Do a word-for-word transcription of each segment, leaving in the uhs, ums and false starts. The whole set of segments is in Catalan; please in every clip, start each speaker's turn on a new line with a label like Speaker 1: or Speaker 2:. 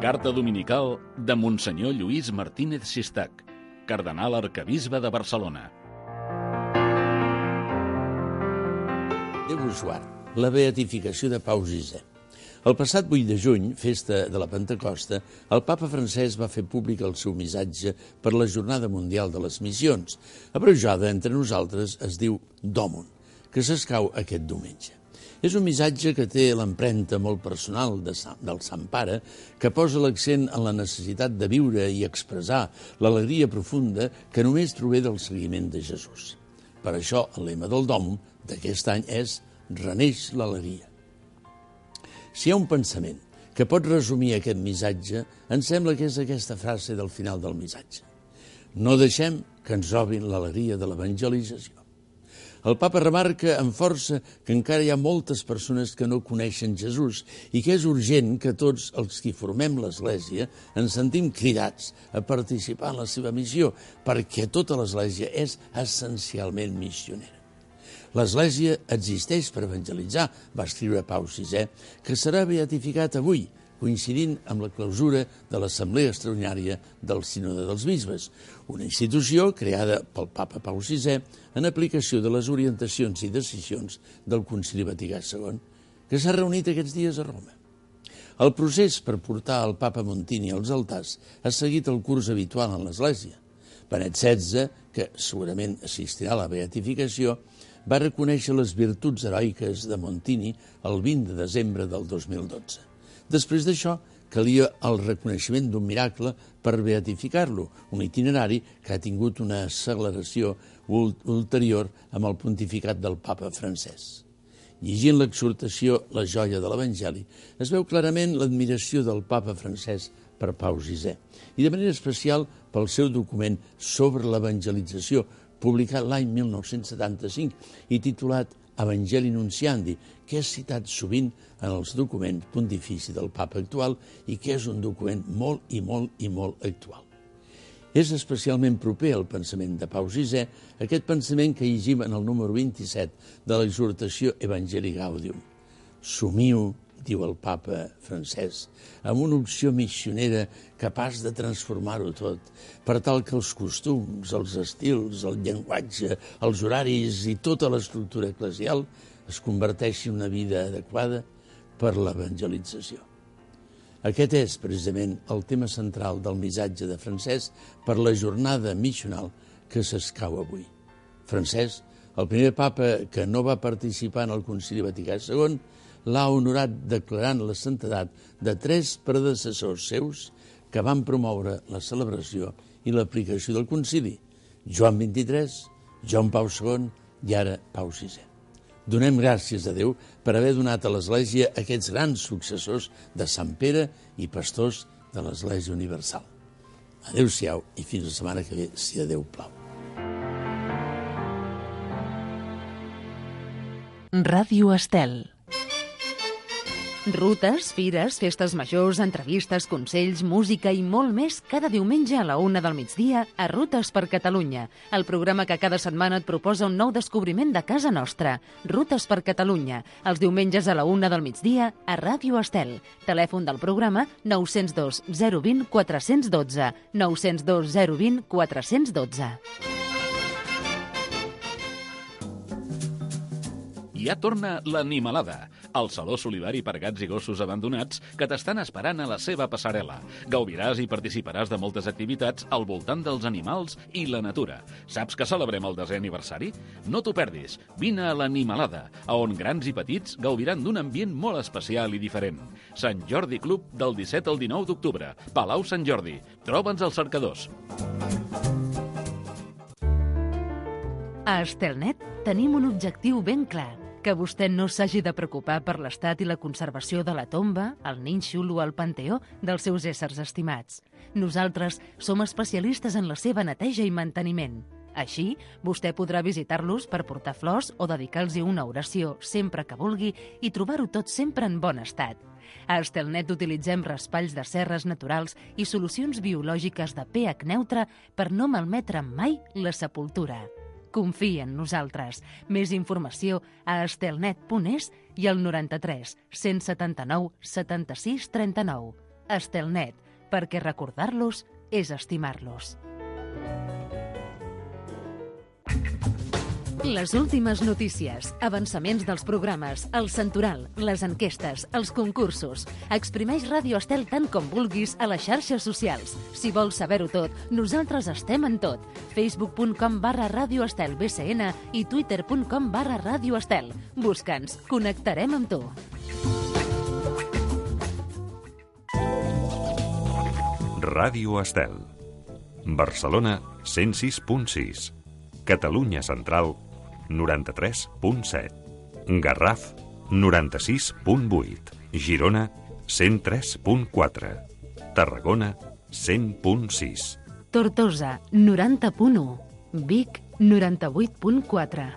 Speaker 1: Carta dominical de Monsenyor Lluís Martínez Sistac, cardenal arquebisbe de Barcelona.
Speaker 2: Déu us guard. La beatificació de Pau sisè. El passat vuit de juny, festa de la Pentecosta, el papa francès va fer públic el seu missatge per la Jornada Mundial de les Missions. Abreujada entre nosaltres es diu Domum, que s'escau aquest diumenge. És un missatge que té l'empremta molt personal de Sant, del Sant Pare, que posa l'accent en la necessitat de viure i expressar l'alegria profunda que només trobé del seguiment de Jesús. Per això, el lema del Domum d'aquest any és «Reneix l'alegria». Si hi ha un pensament que pot resumir aquest missatge, em sembla que és aquesta frase del final del missatge. No deixem que ens robin l'alegria de l'evangelització. El papa remarca amb força que encara hi ha moltes persones que no coneixen Jesús i que és urgent que tots els que formem l'Església ens sentim cridats a participar en la seva missió, perquè tota l'Església és essencialment missionera. L'Església existeix per evangelitzar, va escriure Pau sisè, que serà beatificat avui, coincidint amb la clausura de l'Assemblea Extraordinària del Sínode dels Bisbes, una institució creada pel papa Pau sisè en aplicació de les orientacions i decisions del Concili Vaticà segon, que s'ha reunit aquests dies a Roma. El procés per portar el papa Montini als altars ha seguit el curs habitual en l'Església. Benet setze, que segurament assistirà a la beatificació, va reconèixer les virtuts heroiques de Montini el vint de desembre del dos mil dotze. Després d'això, calia el reconeixement d'un miracle per beatificar-lo, un itinerari que ha tingut una acceleració ulterior amb el pontificat del papa francès. Llegint l'exhortació La joia de l'Evangeli, es veu clarament l'admiració del papa francès per Pau sisè, i de manera especial pel seu document sobre l'evangelització, publicat l'any mil nou-cents setanta-cinc i titulat Evangeli Nunciandi, que és citat sovint en els documents pontifici del papa actual i que és un document molt i molt i molt actual. És especialment proper al pensament de Pau sisè, aquest pensament que llegim en el número vint-i-set de l'exhortació Evangelii Gaudium. Somiu, diu el papa francès, amb una opció missionera capaç de transformar-ho tot, per tal que els costums, els estils, el llenguatge, els horaris i tota l'estructura eclesial es converteixi en una vida adequada per l'evangelització. Aquest és, precisament, el tema central del missatge de Francesc per la jornada missional que s'escau avui. Francesc, el primer papa que no va participar en el Concili Vaticà segon, l'ha honorat declarant la santedat de tres predecessors seus que van promoure la celebració i l'aplicació del concili, Joan vint-i-tres, Joan Pau segon i ara Pau sisè. Donem gràcies a Déu per haver donat a l'Església aquests grans successors de Sant Pere i pastors de l'Església Universal. Adéu-siau i fins la setmana que ve, si a Déu plau.
Speaker 3: Ràdio Estel. Rutes, fires, festes majors, entrevistes, consells, música i molt més cada diumenge a la una del migdia a Rutes per Catalunya, el programa que cada setmana et proposa un nou descobriment de casa nostra. Rutes per Catalunya, els diumenges a la una del migdia a Ràdio Estel. Telèfon del programa nou zero dos zero dos zero quatre un dos, nou zero dos zero dos zero quatre un dos.
Speaker 1: Ja torna l'Animalada, el saló solidari per gats i gossos abandonats que t'estan esperant a la seva passarel·la. Gaudiràs i participaràs de moltes activitats al voltant dels animals i la natura. Saps que celebrem el desè aniversari? No t'ho perdis. Vine a l'Animalada, a on grans i petits gaudiran d'un ambient molt especial i diferent. Sant Jordi Club del disset al dinou d'octubre. Palau Sant Jordi. Troba'ns als cercadors.
Speaker 3: A Estelnet tenim un objectiu ben clar, que vostè no s'hagi de preocupar per l'estat i la conservació de la tomba, el nínxol o el panteó dels seus éssers estimats. Nosaltres som especialistes en la seva neteja i manteniment. Així, vostè podrà visitar-los per portar flors o dedicar-los una oració sempre que vulgui i trobar-ho tot sempre en bon estat. A Estelnet utilitzem raspalls de serres naturals i solucions biològiques de pH neutre per no malmetre mai la sepultura. Confia en nosaltres. Més informació a estelnet punt es i al noranta-tres cent setanta-nou setanta-sis trenta-nou. Estelnet, perquè recordar-los és estimar-los. Les últimes notícies, avançaments dels programes, el santoral, les enquestes, els concursos. Exprimeix Ràdio Estel tant com vulguis a les xarxes socials. Si vols saber-ho tot, nosaltres estem en tot. facebook punt com barra Ràdio Estel B C N i twitter punt com barra Ràdio Estel. Busca'ns, connectarem amb tu.
Speaker 4: Ràdio Estel. Barcelona, cent sis punt sis. Catalunya Central, noranta-tres punt set. Garraf, noranta-sis punt vuit. Girona, cent tres punt quatre. Tarragona, cent punt sis.
Speaker 3: Tortosa, noranta punt u. Vic, noranta-vuit punt quatre.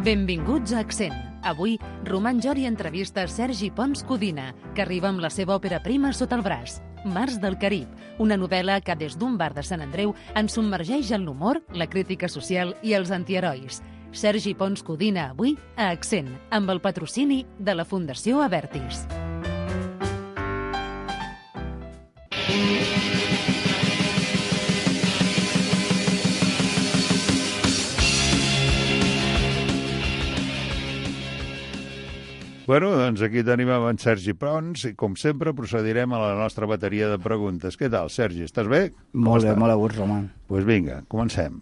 Speaker 3: Benvinguts a Accent. Avui, Roman Jori entrevista Sergi Pons Codina, que arriba amb la seva òpera prima sota el braç, Mars del Carib, una novel·la que des d'un bar de Sant Andreu ens submergeix en l'humor, la crítica social i els antiherois. Sergi Pons Codina avui a Accent, amb el patrocini de la Fundació Avertis.
Speaker 5: Bueno, doncs aquí tenim amb en Sergi Pons i, com sempre, procedirem a la nostra bateria de preguntes. Què tal, Sergi? Estàs bé?
Speaker 6: Molt bé, molt a gust, Roman.
Speaker 5: Doncs pues vinga, comencem.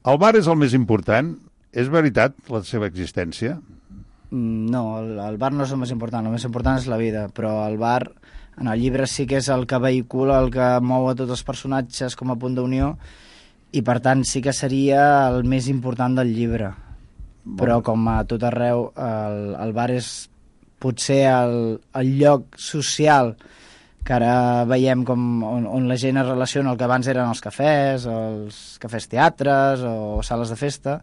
Speaker 5: El bar és el més important? És veritat la seva existència?
Speaker 6: No, el, el bar no és el més important, el més important és la vida, però el bar, en el llibre sí que és el que vehicula, el que mou a tots els personatges com a punt d'unió, i per tant sí que seria el més important del llibre. Però com a tot arreu, el, el bar és potser el, el lloc social que ara veiem com on, on la gent es relaciona, el que abans eren els cafès, els cafès teatres o sales de festa,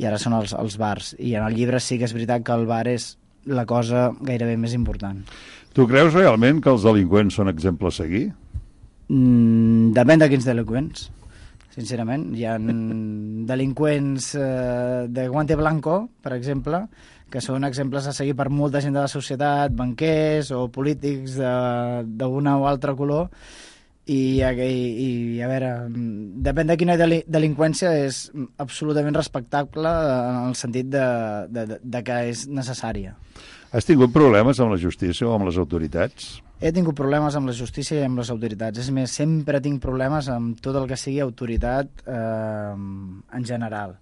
Speaker 6: i ara són els, els bars. I en el llibre sí que és veritat que el bar és la cosa gairebé més important.
Speaker 5: Tu creus realment que els delinqüents són exemple a seguir?
Speaker 6: Mm, depèn de quins delinqüents. Sincerament, hi ha delinqüents eh, de guante blanco, per exemple, que són exemples a seguir per molta gent de la societat, banquers o polítics d'alguna o altra color, i, i, i a veure, depèn de quina deli delinqüència és absolutament respectable en el sentit de, de, de que és necessària.
Speaker 5: Has tingut problemes amb la justícia o amb les autoritats?
Speaker 6: He tingut problemes amb la justícia i amb les autoritats. És més, sempre tinc problemes amb tot el que sigui autoritat eh, en general,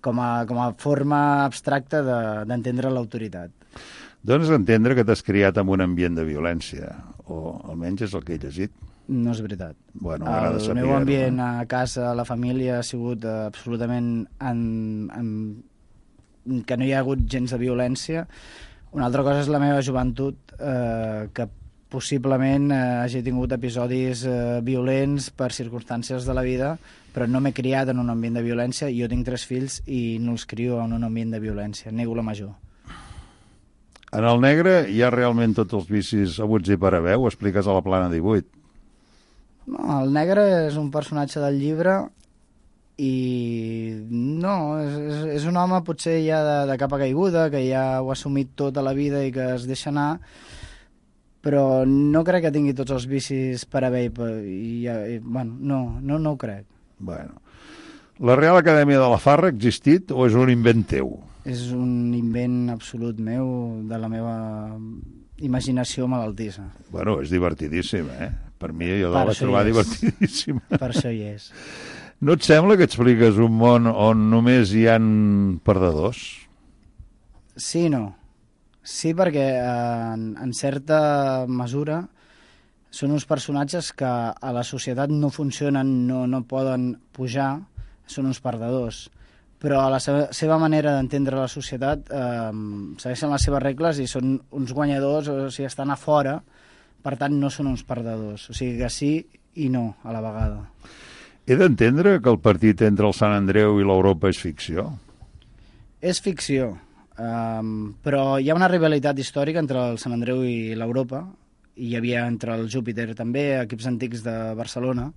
Speaker 6: com a, com a forma abstracta d'entendre de, l'autoritat.
Speaker 5: Dones a entendre que t'has criat en un ambient de violència, o almenys és el que he llegit.
Speaker 6: No és veritat.
Speaker 5: Bueno, m'agrada saber-ho.
Speaker 6: El meu ambient a casa, a la família, ha sigut eh, absolutament en, en, que no hi ha hagut gens de violència. Una altra cosa és la meva joventut, eh, que possiblement eh, hagi tingut episodis eh, violents per circumstàncies de la vida, però no m'he criat en un ambient de violència. Jo tinc tres fills i no els crio en un ambient de violència. Nego la major.
Speaker 5: En el negre hi ha realment tots els vicis haguts i per haver, ho expliques a la plana divuit.
Speaker 6: No, el negre és un personatge del llibre i no, és, és, és un home potser ja de, de capa caiguda, que ja ho ha assumit tota la vida i que es deixa anar, però no crec que tingui tots els vicis per haver i, i, i bueno, no, no, no ho crec.
Speaker 5: Bueno. La Real Acadèmia de la Farra ha existit o és un invent teu?
Speaker 6: És un invent absolut meu, de la meva imaginació malaltissa.
Speaker 5: Bueno, és divertidíssim, eh? Per mi jo la vaig trobar divertidíssima.
Speaker 6: Per això hi és.
Speaker 5: No et sembla que expliques un món on només hi han perdedors?
Speaker 6: Sí i no. Sí, perquè en, en certa mesura són uns personatges que a la societat no funcionen, no, no poden pujar, són uns perdedors. Però a la seva, seva manera d'entendre la societat eh, segueixen les seves regles i són uns guanyadors, o sigui, estan a fora, per tant no són uns perdedors. O sigui que sí i no a la vegada.
Speaker 5: He d'entendre que el partit entre el Sant Andreu i l'Europa és ficció?
Speaker 6: És ficció. Um, però hi ha una rivalitat històrica entre el Sant Andreu i l'Europa, i hi havia entre el Júpiter també, equips antics de Barcelona,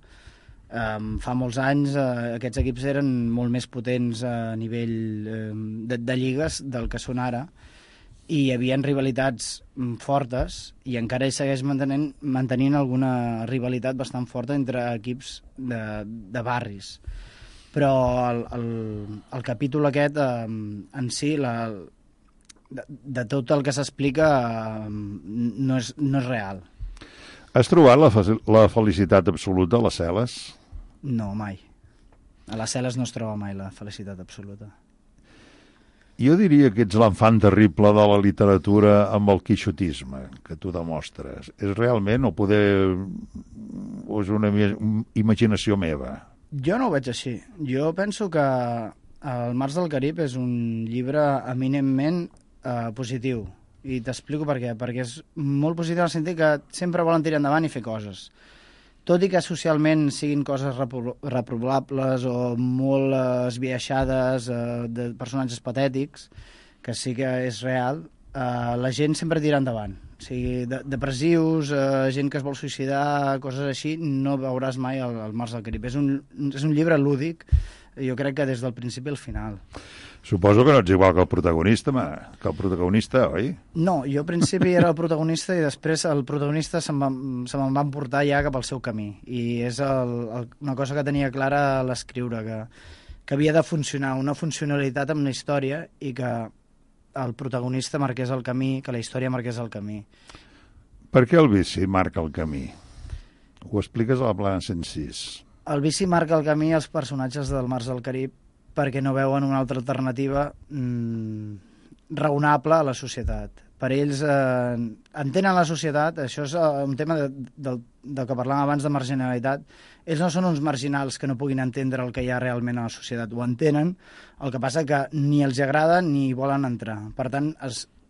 Speaker 6: Um, fa molts anys uh, aquests equips eren molt més potents a nivell um, de, de lligues del que són ara, i hi havia rivalitats fortes, i encara hi segueix mantenint, mantenint alguna rivalitat bastant forta entre equips de, de barris. Però el, el, el capítol aquest, eh, en si, la, de, de tot el que s'explica, eh, no, és, no és real.
Speaker 5: Has trobat la, la felicitat absoluta a les cel·les?
Speaker 6: No, mai. A les cel·les no es troba mai la felicitat absoluta.
Speaker 5: Jo diria que ets l'enfant terrible de la literatura amb el quixotisme que tu demostres. És realment o poder... o és una imaginació meva?
Speaker 6: Jo no ho veig així. Jo penso que El Mars del Carib és un llibre eminentment eh, positiu. I t'explico per què. Perquè és molt positiu en el sentit que sempre volen tirar endavant i fer coses. Tot i que socialment siguin coses repro reprovables o molt eh, esbiaixades, eh, de personatges patètics, que sí que és real, eh, la gent sempre tira endavant. O sigui, de depressius, eh, gent que es vol suïcidar, coses així, no veuràs mai el, el Mars del Carib. És un, és un llibre lúdic, jo crec que des del principi al final.
Speaker 5: Suposo que no ets igual que el protagonista, ma, que el protagonista, oi?
Speaker 6: No, jo al principi era el protagonista i després el protagonista se me'n se va portar ja cap al seu camí. I és el, el, una cosa que tenia clara a l'escriure, que, que havia de funcionar, una funcionalitat amb la història i que el protagonista marqués el camí, que la història marqués el camí.
Speaker 5: Per què el vici marca el camí? Ho expliques a la plana cent sis.
Speaker 6: El vici marca el camí als personatges del Mars del Carib perquè no veuen una altra alternativa mmm, raonable a la societat. Per ells eh, entenen la societat, això és uh, un tema de, de, del que parlàvem abans de marginalitat. Ells no són uns marginals que no puguin entendre el que hi ha realment a la societat, ho entenen, el que passa que ni els agrada ni hi volen entrar. Per tant,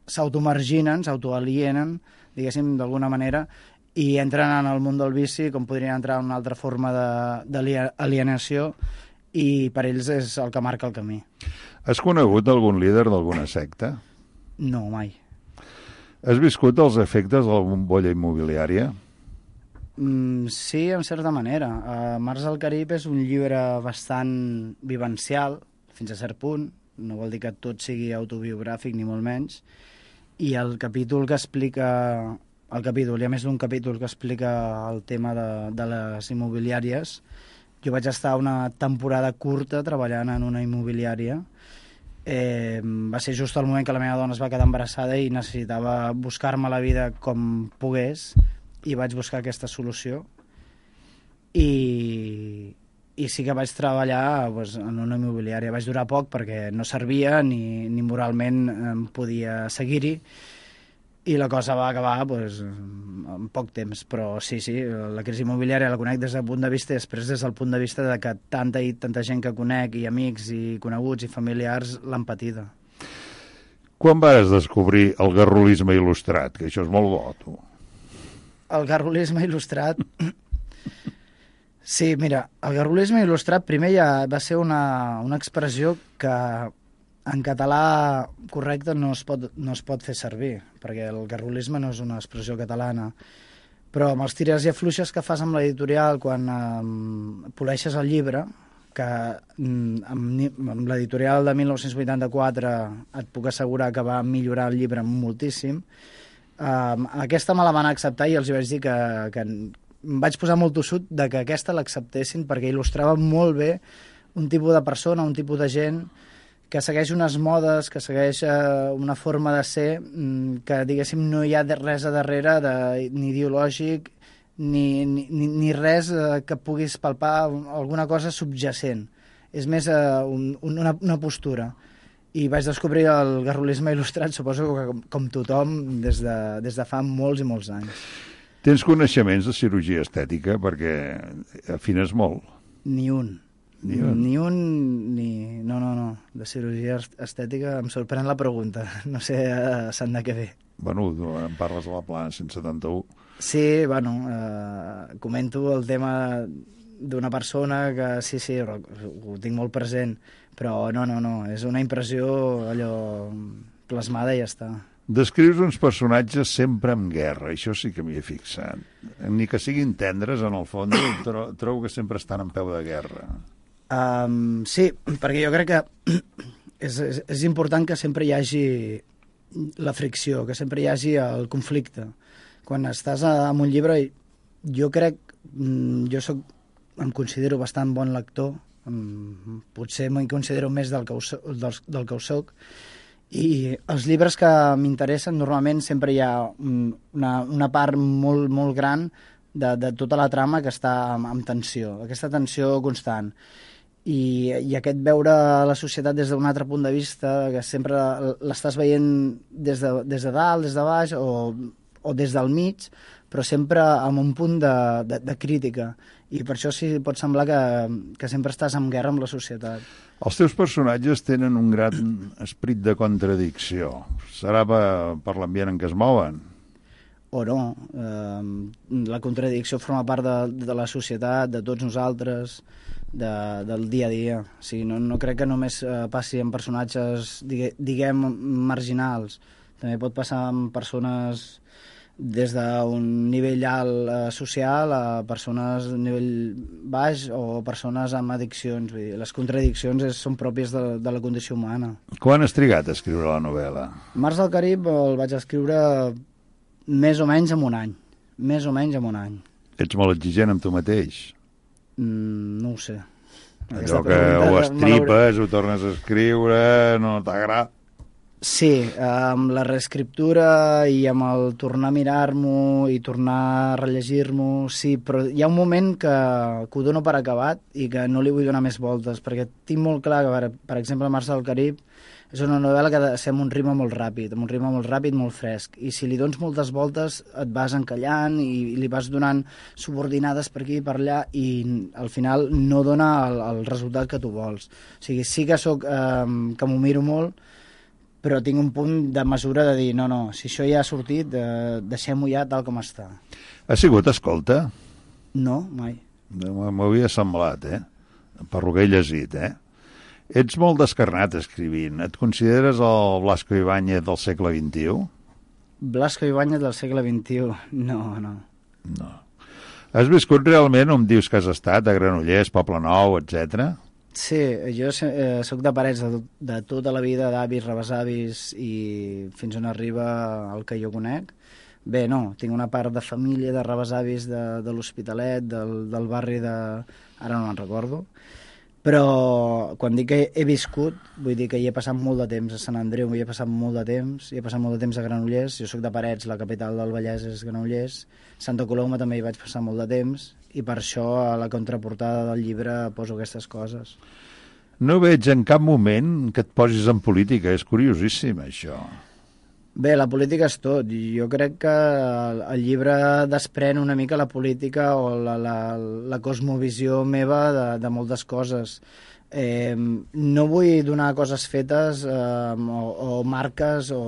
Speaker 6: s'automarginen, s'autoalienen, diguéssim, d'alguna manera, i entren en el món del vici com podrien entrar en una altra forma d'alienació, i per ells és el que marca el camí.
Speaker 5: Has conegut algun líder d'alguna secta?
Speaker 6: No, mai.
Speaker 5: Has viscut els efectes de la bombolla immobiliària?
Speaker 6: Mm, sí, en certa manera. Uh, Mars del Carib és un llibre bastant vivencial, fins a cert punt, no vol dir que tot sigui autobiogràfic ni molt menys, i el capítol que explica... El capítol, hi ha més d'un capítol que explica el tema de, de les immobiliàries. Jo vaig estar una temporada curta treballant en una immobiliària. Eh, va ser just el moment que la meva dona es va quedar embarassada i necessitava buscar-me la vida com pogués, i vaig buscar aquesta solució. I, i sí que vaig treballar pues, en una immobiliària. Vaig durar poc perquè no servia ni, ni moralment em podia seguir-hi, i la cosa va acabar pues, en poc temps. Però sí, sí, la crisi immobiliària la conec des del punt de vista i després des del punt de vista de que tanta i tanta gent que conec, i amics, i coneguts, i familiars, l'han patida.
Speaker 5: Quan vas descobrir el garrulisme il·lustrat? Que això és molt bo, tu.
Speaker 6: El garrulisme il·lustrat... Sí, mira, el garrulisme il·lustrat primer ja va ser una, una expressió que en català correcte no es, pot, no es pot fer servir, perquè el garrulisme no és una expressió catalana. Però amb els tires i afluixes que fas amb l'editorial quan eh, poleixes el llibre, que amb, amb l'editorial de mil nou-cents vuitanta-quatre et puc assegurar que va millorar el llibre moltíssim, eh, aquesta me la van acceptar i els vaig dir que, que em vaig posar molt tossut de que aquesta l'acceptessin perquè il·lustrava molt bé un tipus de persona, un tipus de gent que segueix unes modes, que segueix eh, una forma de ser, que, diguéssim, no hi ha res a darrere de, ni ideològic, ni, ni, ni res eh, que puguis palpar, alguna cosa subjacent. És més eh, un, una, una postura. I vaig descobrir el garrulisme il·lustrat, suposo que com, com tothom, des de, des de fa molts i molts anys.
Speaker 5: Tens coneixements de cirurgia estètica? Perquè afines molt.
Speaker 6: Ni un.
Speaker 5: Ni un?
Speaker 6: Ni un, ni... No, no, no. De cirurgia estètica em sorprèn la pregunta. No sé a Sant de què ve.
Speaker 5: Bueno, tu em parles de la plana cent setanta-u.
Speaker 6: Sí, bueno, eh, comento el tema d'una persona que sí, sí, ho tinc molt present, però no, no, no. És una impressió allò plasmada i ja està.
Speaker 5: Descrius uns personatges sempre en guerra, això sí que m'hi he fixat. Ni que siguin tendres, en el fons, tro trobo que sempre estan en peu de guerra.
Speaker 6: Um, sí, perquè jo crec que és, és, és important que sempre hi hagi la fricció, que sempre hi hagi el conflicte. Quan estàs en un llibre, jo crec, jo soc, em considero bastant bon lector, potser m'hi considero més del que ho, del, del que ho soc, i els llibres que m'interessen normalment sempre hi ha una, una part molt, molt gran de, de tota la trama que està amb, amb tensió, aquesta tensió constant. I, i aquest veure la societat des d'un altre punt de vista, que sempre l'estàs veient des de, des de dalt, des de baix o, o des del mig, però sempre amb un punt de, de, de crítica. I per això sí pot semblar que, que sempre estàs en guerra amb la societat.
Speaker 5: Els teus personatges tenen un gran esperit de contradicció. Serà per, per l'ambient en què es mouen?
Speaker 6: O no. Eh, la contradicció forma part de, de la societat, de tots nosaltres, de, del dia a dia. O sigui, no, no crec que només eh, passi en personatges, digue, diguem, marginals. També pot passar amb persones des d'un nivell alt eh, social a persones d'un nivell baix o persones amb addiccions. Vull dir, les contradiccions és, són pròpies de, de la condició humana.
Speaker 5: Quan has trigat a escriure la novel·la?
Speaker 6: Mars del Carib el vaig escriure més o menys en un any. Més o menys en un any.
Speaker 5: Ets molt exigent amb tu mateix?
Speaker 6: Mm, no ho sé.
Speaker 5: Allò que ho estripes, ho tornes a escriure, no t'agrada?
Speaker 6: Sí, amb la reescriptura i amb el tornar a mirar-m'ho i tornar a rellegir-m'ho, sí, però hi ha un moment que, que ho dono per acabat i que no li vull donar més voltes, perquè tinc molt clar que, per, per exemple, Mars del Carib és una novel·la que ha de ser amb un ritme molt ràpid, amb un ritme molt ràpid, molt fresc, i si li dones moltes voltes et vas encallant i, i li vas donant subordinades per aquí i per allà i al final no dona el, el resultat que tu vols. O sigui, sí que soc, eh, que m'ho miro molt, però tinc un punt de mesura de dir, no, no, si això ja ha sortit, eh, deixem-ho ja tal com està.
Speaker 5: Ha sigut escolta?
Speaker 6: No, mai.
Speaker 5: M'ho havia semblat, eh? Per lo que he llegit, eh? Ets molt descarnat escrivint. Et consideres el Blasco Ibáñez del segle vint-i-u?
Speaker 6: Blasco Ibáñez del segle vint-i-u? No, no.
Speaker 5: No. Has viscut realment on dius que has estat, a Granollers, Poblenou, etcètera?
Speaker 6: Sí, jo eh, soc de parets de, de tota la vida, d'avis, rebesavis i fins on arriba el que jo conec. Bé, no, tinc una part de família, de rebesavis de, de l'Hospitalet, del, del barri de... ara no me'n recordo. Però quan dic que he viscut, vull dir que hi he passat molt de temps. A Sant Andreu hi he passat molt de temps, hi he passat molt de temps a Granollers, jo soc de Parets, la capital del Vallès és Granollers, Santa Coloma també hi vaig passar molt de temps, i per això a la contraportada del llibre poso aquestes coses.
Speaker 5: No veig en cap moment que et posis en política, és curiosíssim això.
Speaker 6: Bé, la política és tot. Jo crec que el llibre desprèn una mica la política o la, la, la cosmovisió meva de, de moltes coses. Eh, no vull donar coses fetes eh, o, o marques o,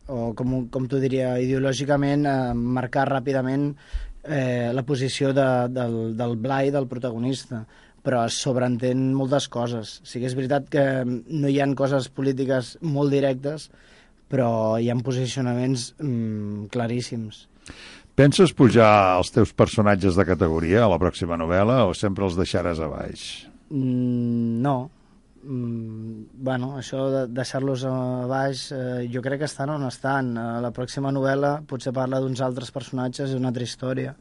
Speaker 6: o com, com t'ho diria, ideològicament eh, marcar ràpidament eh, la posició de, del, del Blai, del protagonista, però es sobreentén moltes coses. O sigui, és veritat que no hi ha coses polítiques molt directes, però hi ha posicionaments mm, claríssims.
Speaker 5: Penses pujar els teus personatges de categoria a la pròxima novel·la o sempre els deixaràs a baix?
Speaker 6: Mm, no. Mm, bueno, això de deixar-los a baix, eh, jo crec que estan on estan. Eh, la pròxima novel·la potser parla d'uns altres personatges i una altra història.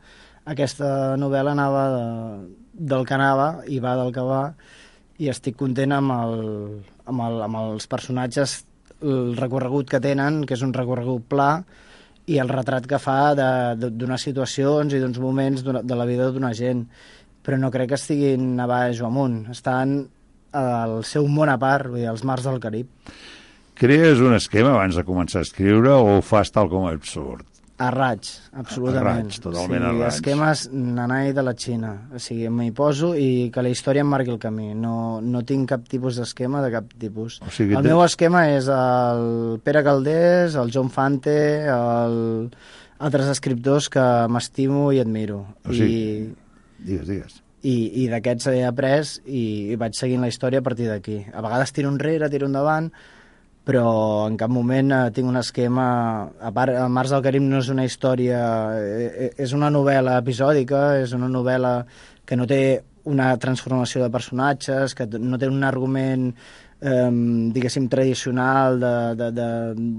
Speaker 6: Aquesta novel·la anava de, del que anava i va del que va, i estic content amb, el, amb, el, amb els personatges, el recorregut que tenen, que és un recorregut pla, i el retrat que fa d'unes situacions i d'uns moments de la vida d'una gent. Però no crec que estiguin a baix o amunt. Estan al seu món a part, vull dir, als mars del Carib.
Speaker 5: Crees un esquema abans de començar a escriure o ho fas tal com absurd?
Speaker 6: A raig, absolutament.
Speaker 5: A raig, totalment
Speaker 6: sí,
Speaker 5: a raig.
Speaker 6: Esquemes nanai de la Xina. O sigui, m'hi poso i que la història em marqui el camí. No, no tinc cap tipus d'esquema de cap tipus.
Speaker 5: O sigui,
Speaker 6: el
Speaker 5: te...
Speaker 6: meu esquema és el Pere Calders, el John Fante, el... altres escriptors que m'estimo i admiro.
Speaker 5: O sigui,
Speaker 6: I...
Speaker 5: digues, digues.
Speaker 6: I, i d'aquests he après i, i vaig seguint la història a partir d'aquí. A vegades tiro enrere, tiro endavant, però en cap moment eh, tinc un esquema... A part, el Mars del Carib no és una història... Eh, és una novel·la episòdica, és una novel·la que no té una transformació de personatges, que no té un argument, eh, diguéssim, tradicional de, de, de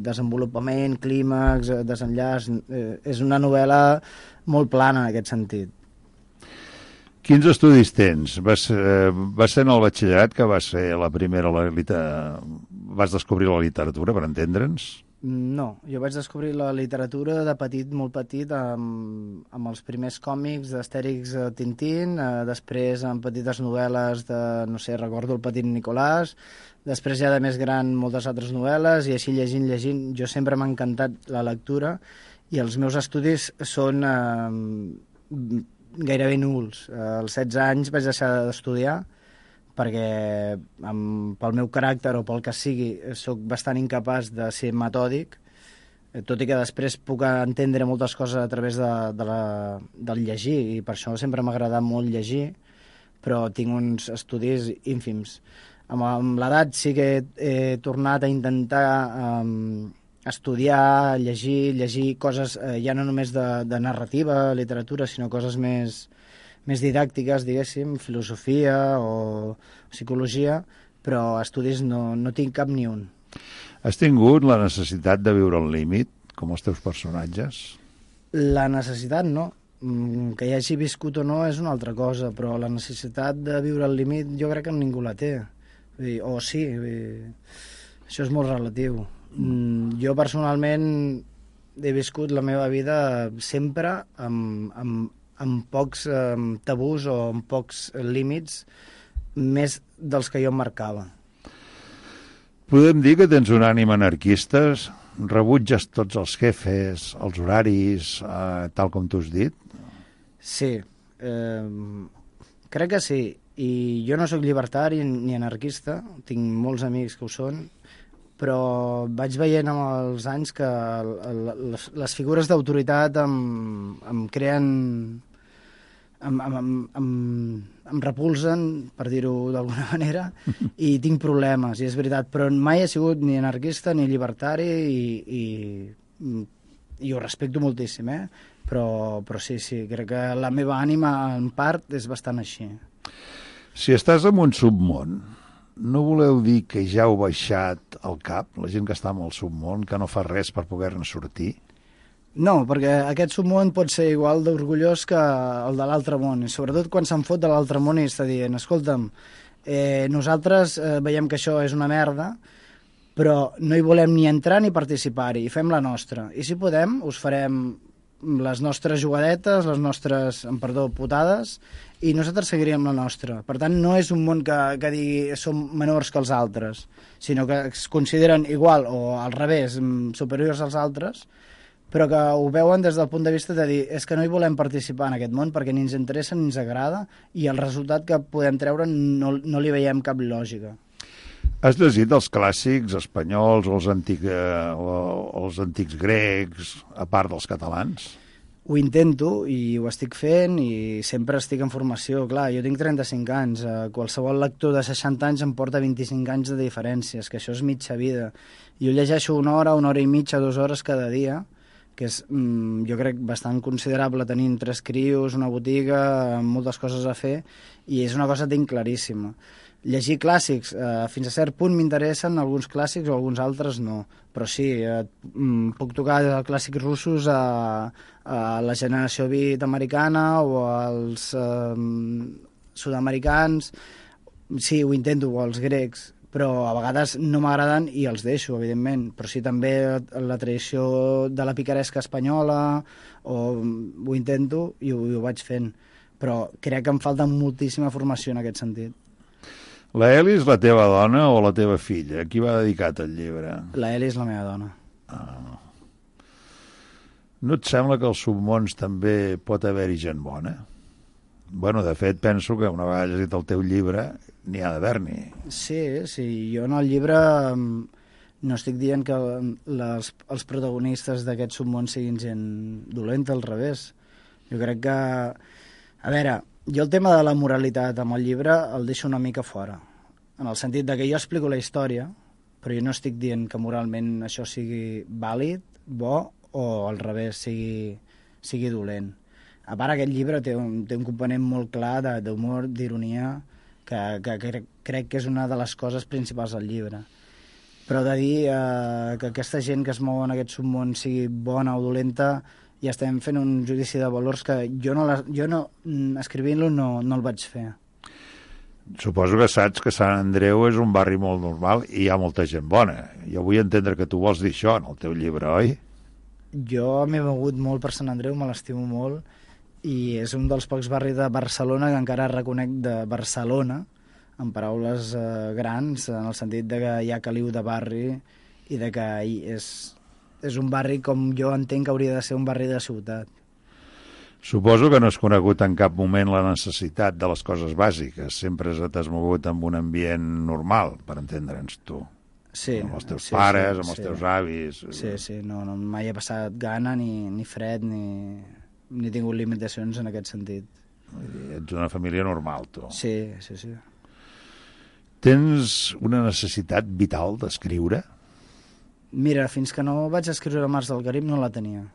Speaker 6: desenvolupament, clímax, desenllaç... Eh, és una novel·la molt plana en aquest sentit.
Speaker 5: Quins estudis tens? Vas, eh, vas ser en el batxillerat que vas ser la primera... La, liter... Vas descobrir la literatura, per entendre'ns?
Speaker 6: No, jo vaig descobrir la literatura de petit, molt petit, amb, amb els primers còmics d'Astèrix a Tintín, eh, després amb petites novel·les de, no sé, recordo El petit Nicolàs, després ja de més gran moltes altres novel·les, i així llegint, llegint, jo sempre m'ha encantat la lectura, i els meus estudis són eh, gairebé nuls. Als setze anys vaig deixar d'estudiar, perquè amb, pel meu caràcter o pel que sigui sóc bastant incapaç de ser metòdic, tot i que després puc entendre moltes coses a través de, de la, del llegir, i per això sempre m'ha agradat molt llegir, però tinc uns estudis ínfims. Amb, amb l'edat sí que he, he tornat a intentar um, estudiar, llegir, llegir coses eh, ja no només de, de narrativa, literatura, sinó coses més... més didàctiques, diguéssim, filosofia o psicologia, però estudis no, no tinc cap ni un.
Speaker 5: Has tingut la necessitat de viure al límit, com els teus personatges?
Speaker 6: La necessitat no. Que hi hagi viscut o no és una altra cosa, però la necessitat de viure al límit jo crec que ningú la té. O sí, això és molt relatiu. Jo personalment he viscut la meva vida sempre amb... amb amb pocs eh, tabús o amb pocs límits, més dels que jo em marcava.
Speaker 5: Podem dir que tens un ànim anarquista? Rebutges tots els jefes, els horaris, eh, tal com tu has dit?
Speaker 6: Sí, eh, crec que sí. I jo no sóc llibertari ni anarquista, tinc molts amics que ho són, però vaig veient amb els anys que les, les figures d'autoritat em, em creen... Em, em, em, em repulsen, per dir-ho d'alguna manera, i tinc problemes, i és veritat, però mai he sigut ni anarquista ni llibertari, i, i, i ho respecto moltíssim, eh? Però, però sí, sí, crec que la meva ànima en part és bastant així.
Speaker 5: Si estàs en un submón, no voleu dir que ja heu baixat al cap, la gent que està en el submón, que no fa res per poder-ne sortir?
Speaker 6: No, perquè aquest submón pot ser igual d'orgullós que el de l'altre món, i sobretot quan se'n fot de l'altre món i està dient, escolta'm, eh, nosaltres eh, veiem que això és una merda, però no hi volem ni entrar ni participar-hi, i fem la nostra. I si podem, us farem les nostres jugadetes, les nostres, amb perdó, putades, i nosaltres seguiríem la nostra. Per tant, no és un món que, que digui som menors que els altres, sinó que es consideren igual o al revés, superiors als altres, però que ho veuen des del punt de vista de dir és que no hi volem participar en aquest món perquè ni ens interessa ni ens agrada, i el resultat que podem treure no, no li veiem cap lògica.
Speaker 5: Has llegit els clàssics espanyols o els, antic, eh, o els antics grecs, a part dels catalans?
Speaker 6: Ho intento i ho estic fent, i sempre estic en formació. Clar, jo tinc trenta-cinc anys, qualsevol lector de seixanta anys em porta vint-i-cinc anys de diferències, que això és mitja vida. Jo llegeixo una hora, una hora i mitja, dues hores cada dia, que és, jo crec, bastant considerable tenint tres crios, una botiga, moltes coses a fer, i és una cosa que tinc claríssima. Llegir clàssics, eh, fins a cert punt m'interessen alguns clàssics o alguns altres no, però sí, eh, puc tocar clàssics russos a, a la generació beat americana o als eh, sud-americans, sí, ho intento, o als grecs, però a vegades no m'agraden i els deixo, evidentment, però sí també la tradició de la picaresca espanyola, o ho intento i ho, i ho vaig fent, però crec que em falta moltíssima formació en aquest sentit.
Speaker 5: La Eli és la teva dona o la teva filla? A qui va dedicat el llibre?
Speaker 6: La Eli és la meva dona.
Speaker 5: Ah. No et sembla que als submons també pot haver-hi gent bona? Bueno, de fet, penso que una vegada llegit el teu llibre n'hi ha d'haver-n'hi.
Speaker 6: Sí, sí, jo en el llibre no estic dient que les, els protagonistes d'aquest submón siguin gent dolenta, al revés. Jo crec que... A veure, jo el tema de la moralitat amb el llibre el deixo una mica fora, en el sentit de que jo explico la història però jo no estic dient que moralment això sigui vàlid, bo, o al revés, sigui, sigui dolent. A part, aquest llibre té un, té un component molt clar d'humor, d'ironia, que, que, que crec que és una de les coses principals del llibre. Però de dir eh, que aquesta gent que es mou en aquest submón sigui bona o dolenta, ja estem fent un judici de valors que jo, no, la, jo no, escrivint-lo no, no el vaig fer.
Speaker 5: Suposo que saps que Sant Andreu és un barri molt normal i hi ha molta gent bona. Jo vull entendre que tu vols dir això en el teu llibre, oi?
Speaker 6: Jo m'he begut molt per Sant Andreu, me l'estimo molt, i és un dels pocs barris de Barcelona que encara reconec de Barcelona, en paraules eh, grans, en el sentit de que hi ha caliu de barri i de que és, és un barri com jo entenc que hauria de ser un barri de ciutat.
Speaker 5: Suposo que no has conegut en cap moment la necessitat de les coses bàsiques. Sempre t'has mogut en un ambient normal, per entendre'ns tu.
Speaker 6: Sí.
Speaker 5: Amb els teus
Speaker 6: sí,
Speaker 5: pares,
Speaker 6: sí,
Speaker 5: amb els
Speaker 6: sí.
Speaker 5: teus avis...
Speaker 6: Sí, sí, no, no, mai he passat gana, ni, ni fred, ni, ni he tingut limitacions en aquest sentit.
Speaker 5: Ets una família normal, tu.
Speaker 6: Sí, sí, sí.
Speaker 5: Tens una necessitat vital d'escriure?
Speaker 6: Mira, fins que no vaig escriure Mars del Carib no la tenia.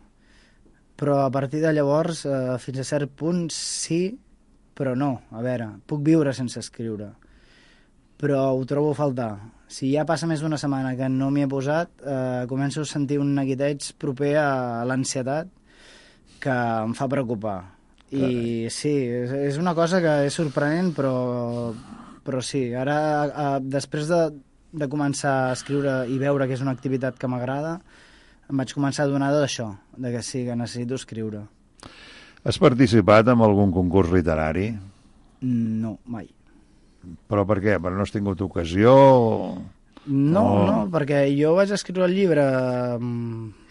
Speaker 6: Però a partir de llavors, eh, fins a cert punt, sí, però no. A veure, puc viure sense escriure, però ho trobo a faltar. Si ja passa més d'una setmana que no m'hi he posat, eh, començo a sentir un neguiteig proper a l'ansietat que em fa preocupar. I sí, és, és una cosa que és sorprenent, però, però sí. Ara, eh, després de, de començar a escriure i veure que és una activitat que m'agrada, em vaig començar a donar d'això, de que sí, que necessito escriure.
Speaker 5: Has participat en algun concurs literari?
Speaker 6: No, mai.
Speaker 5: Però per què? Però no has tingut ocasió?
Speaker 6: No,
Speaker 5: o...
Speaker 6: no, perquè jo vaig escriure el llibre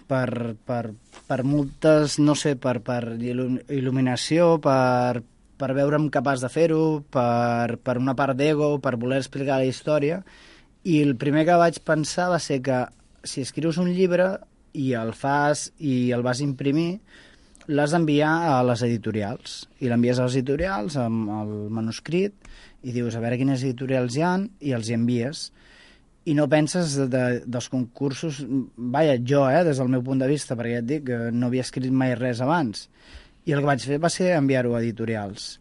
Speaker 6: per, per, per moltes, no sé, per, per il·luminació, per, per veure'm capaç de fer-ho, per, per una part d'ego, per voler explicar la història, i el primer que vaig pensar va ser que si escrius un llibre i el fas i el vas imprimir, l'has d'enviar a les editorials. I l'envies a les editorials amb el manuscrit i dius a veure quines editorials hi ha i els hi envies. I no penses de, de, dels concursos... Vaja, jo, eh, des del meu punt de vista, perquè ja et dic que no havia escrit mai res abans. I el que vaig fer va ser enviar-ho a editorials.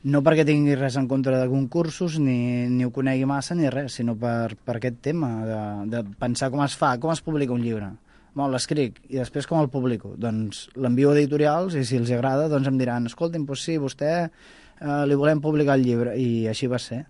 Speaker 6: No perquè tingui res en contra de concursos, ni, ni ho conegui massa, ni res, sinó per, per aquest tema de, de pensar com es fa, com es publica un llibre. Bon, l'escric, i després com el publico? Doncs l'envio a editorials, i si els agrada, doncs em diran, escolti'm, doncs sí, vostè eh, li volem publicar el llibre, i així va ser.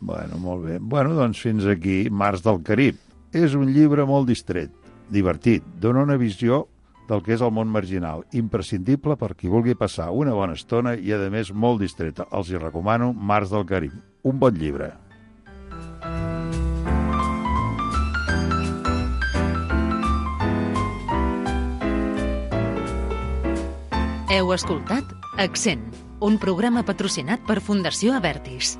Speaker 5: Bueno, molt bé. Bueno, doncs fins aquí, Mars del Carib. És un llibre molt distret, divertit, dona una visió del que és el món marginal, imprescindible per qui vulgui passar una bona estona i, a més, molt distreta. Els hi recomano Mars del Carib. Un bon llibre.
Speaker 3: Heu escoltat Accent, un programa patrocinat per Fundació Avertis.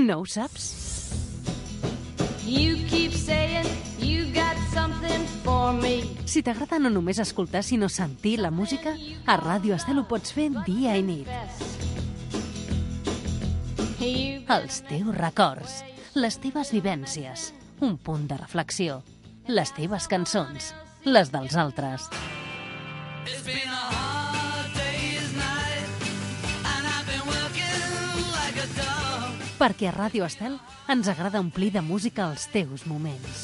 Speaker 3: No ho saps?
Speaker 7: You keep saying you got something for me.
Speaker 3: Si t'agrada no només escoltar, sinó sentir la música, a Ràdio Estel ho pots fer dia i nit. Els teus records, les teves vivències, un punt de reflexió, les teves cançons, les dels altres. It's been a hard day's night and I've been working like a dog. Perquè a Ràdio Estel ens agrada omplir de música els teus moments.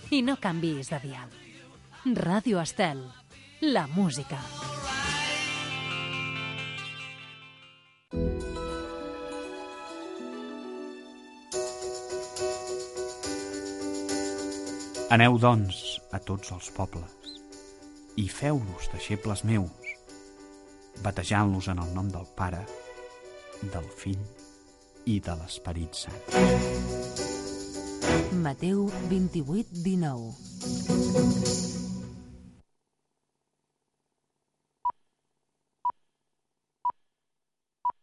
Speaker 3: I no canvis de dial. Ràdio Estel, la música.
Speaker 8: Aneu, doncs, a tots els pobles i feu-los deixebles meus, batejant-los en el nom del Pare, del Fill i de l'Esperit Sant.
Speaker 3: Mateu vint-i-vuit dinou.
Speaker 7: me.